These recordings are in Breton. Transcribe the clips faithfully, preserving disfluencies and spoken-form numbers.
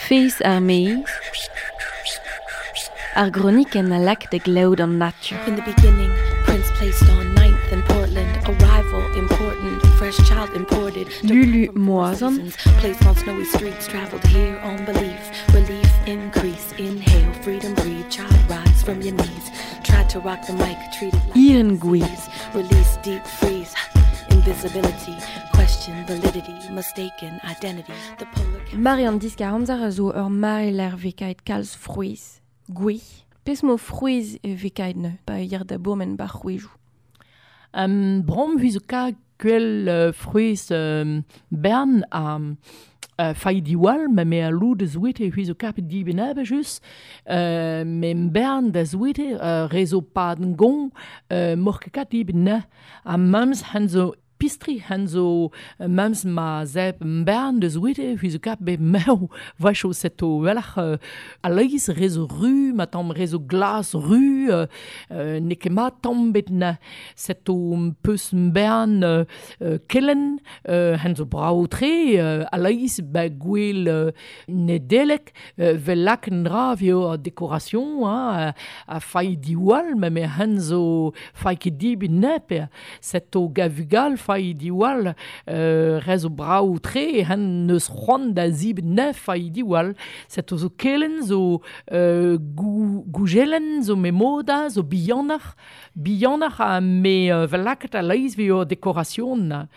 Feiz ar meiz, ar groniken a lak da glaout an natur. In the beginning, Prince placed on ninth in Portland, arrival important, fresh child imported. Lulu Moazan. Placed on snowy streets, traveled here on belief, relief increase, inhale, freedom breathe, child rise from your knees. Tried to rock the mic, treated like Iren Goué. Release deep freeze, invisibility, question validity, mistaken identity. The polar Marian diskar amzer a zo ur mareler vekaet kalz frouez. Goué. Pes mo frouez e vekaet ne, pa ir da bourmen bar c'houejou. Um, brom hui zo ka gwell uh, frouez um, bern a uh, fai diwall, ma me a lou da zouete hui zo kapet diben abe just, uh, me bern da zouete uh, rezo paden gon, uh, morke kat diben na, a mams han zo pistri han zo uh, mams ma zeb bern da zouete hui zo kap be mew vacho seto welach uh, a leiz rezo ru, ma tamm rezo glas ru, uh, uh, ne ket ma tamm bet na seto peus bern uh, uh, kellen, uh, han zo brao tre, uh, a leiz ba gwell uh, nedelek, uh, vel lak an dra vio a dekoration, hein, a, a fai diwall, ma me han zo fai ket dibin nep, seto gavugal fai diwall, uh, rezo brao tre, han neus c'hoant da zib nef fai diwall, seto zo kellen, zo uh, gou, goujelen, zo me moda, zo bihanach, bihanach a me uh, vel lakaet a leiz vio dekoration.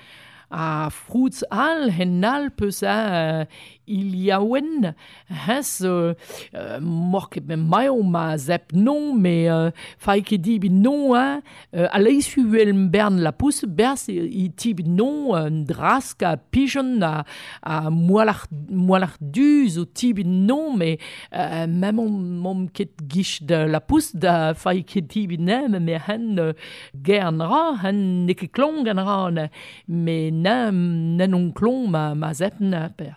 A froutz al hen al peus a uh, iliaouen, hez euh, euh, mor ket me maio ma zep non, me euh, fai ket dibi non, hein, euh, a leiz huel bern la pousse, bers i tibi non, un drask a pigeon a, a moalach, moalach du zo tibi non, me euh, mem on mom ket gich de la pousse da fai ket dibi ne, me hen euh, gern ra, hen ne ket klong an ra, ne, me na, nen on klon ma, ma zep na per.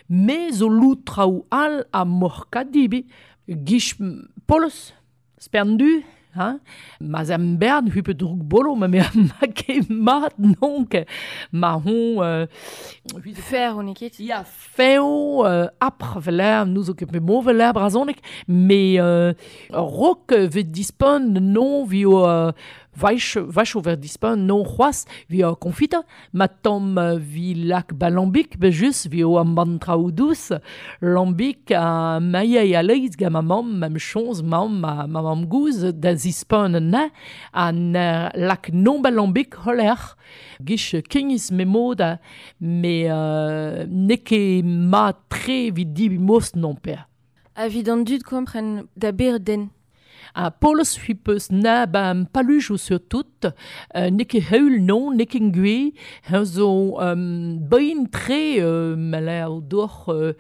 Me zo lout traoù al a morka dibi, gich polos, spern du, hein? Ma zem bern hupe droug bolo, ma me ma ket mat nonk, ma hon... Euh, Fer on ket? Ya, feo, euh, apr veler, nous zo ket me mo veler brazonek, me euh, rok vet dispon non vio... Euh, Vaich, vaich over dispon non c'hoaz vi a konfita, ma tamm vi lak ba lambik, be just vi o am ban traoù dous, lambik a maia a leiz ga ma mamm, ma chonz mamm, ma, ma mamm gouz da zispon na, a na lak non ba lambik holer, gich kegniz me mod, me euh, ne ket ma tre vid dibi mos non per. A vid an dud kompren da ber den. A polos hui peus na ba paluj ou surtout, euh, ne ket heul non, ne ket ngwe, hen zo um, bein tre euh, ma o doc'h euh,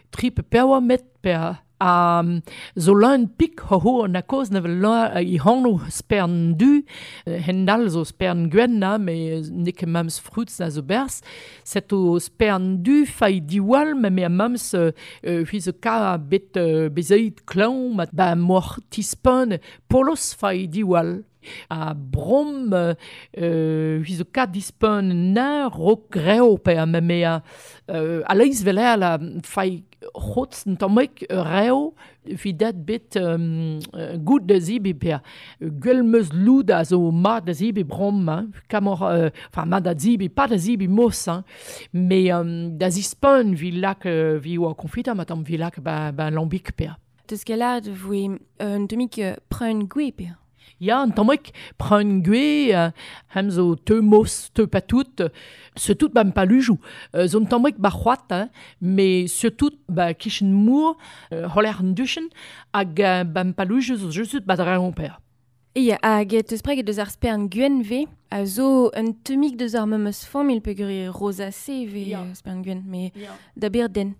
tri pe pewa met per a um, zo leun pik ho ho an a koz na vel la i hanno spern du, hen dal zo spern gwenn na, me ne ket mams frutz na zo bers, set o spern du fai diwall, me me a mams euh, hui zo ka bet euh, bezeit klaon, ma ba mor tispon polos fai diwall. A brom euh, hui zo ka dispon na rok greo pe a me me a euh, a leiz veler la fai c'hotz n tammek reo vi dat bet um, gout da zibi per gwell meus loud a zo mat da zibi brom, hein, kamor, euh, enfin mat da zibi, pas da zibi mos, hein, mais um, da zispon vi lak euh, vi oa konfita, ma tamm vi lak ba, ba lambik per. Teus ket lâret voe un demik preun gwe per. Ya, an tammek preun gwe, euh, hem zo teu mos, teu patout, surtout ba palujou. Euh, zo an tammek ba c'hoat, hein, mais surtout ba kichen mour, euh, holer an duchen, hag euh, ba palujou zo just ba dre on per. E hag teus preget deus ar spern gwenn ve, a zo un temik deus ar memes familh peogwir rosacé ve Ya. spern gwenn, me Ya. da ber den.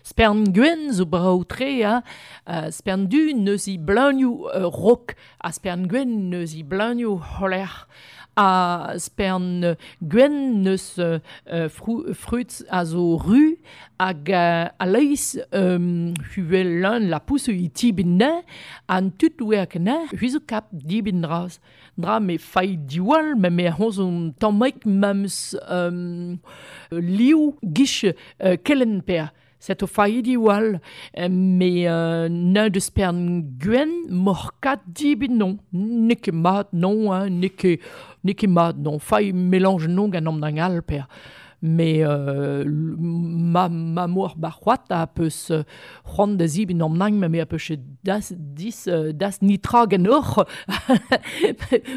Spern gwenn zo brao tre, hein. Uh, spern du neus i bleunioù uh, rok, ha spern gwenn neus i bleunioù holer. A spern gwenn neus uh, fru, frutz a zo ru, hag uh, a leiz um, huel leun la pousse i tibin na, an tut oa na, hui zo kap dibin draz. Dra me fai diwall, me me hon zo tammek mams um, liou gich uh, kellen per. Set o faidi wal, me euh, neun deus pern gwen mor kat dibin non. N'eo ket mat non, hein, n'eo ket, n'eo ket mat non. Fai mélange non gant am dang al per. Me euh, ma, ma mor ba c'hoat a peus euh, c'hoant da zibin am nang, me a peus das, dis, euh, das nitra gant ur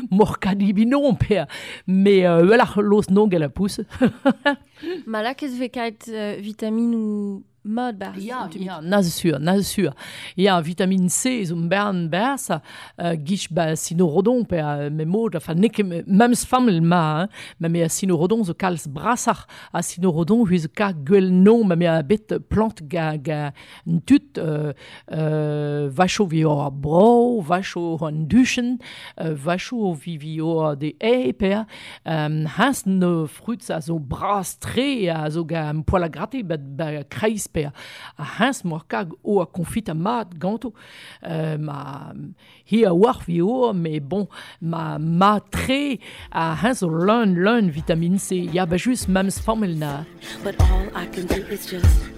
mor kat dibin non per. Me euh, welac'h los non gant la pousse. Ma lakez ve kaet euh, vitamine ou mad barz. Ja, ja, na sur, na sur. Ja, vitamine C zo bern berz, euh, gich ba sinorodon pe euh, me mod, enfin n'eo ket memes famil ma, hein, ma me a sinorodon zo kalz brasach a sinorodon hui zo ka gwell non, ma me a bet plant ga, ga n tut euh, euh, vacho vi o bro, vacho an duchen, euh, vacho vi vi o de e per, euh, hans ne fruits a zo bras tre a zo ga poil a gratter ba, ba kreiz per a hens mor kag o a konfit a mat ganto euh, ma hi a war vi o mais bon ma ma tre a hens o leun leun vitamine C ya ba just memes famil na But all I can do is just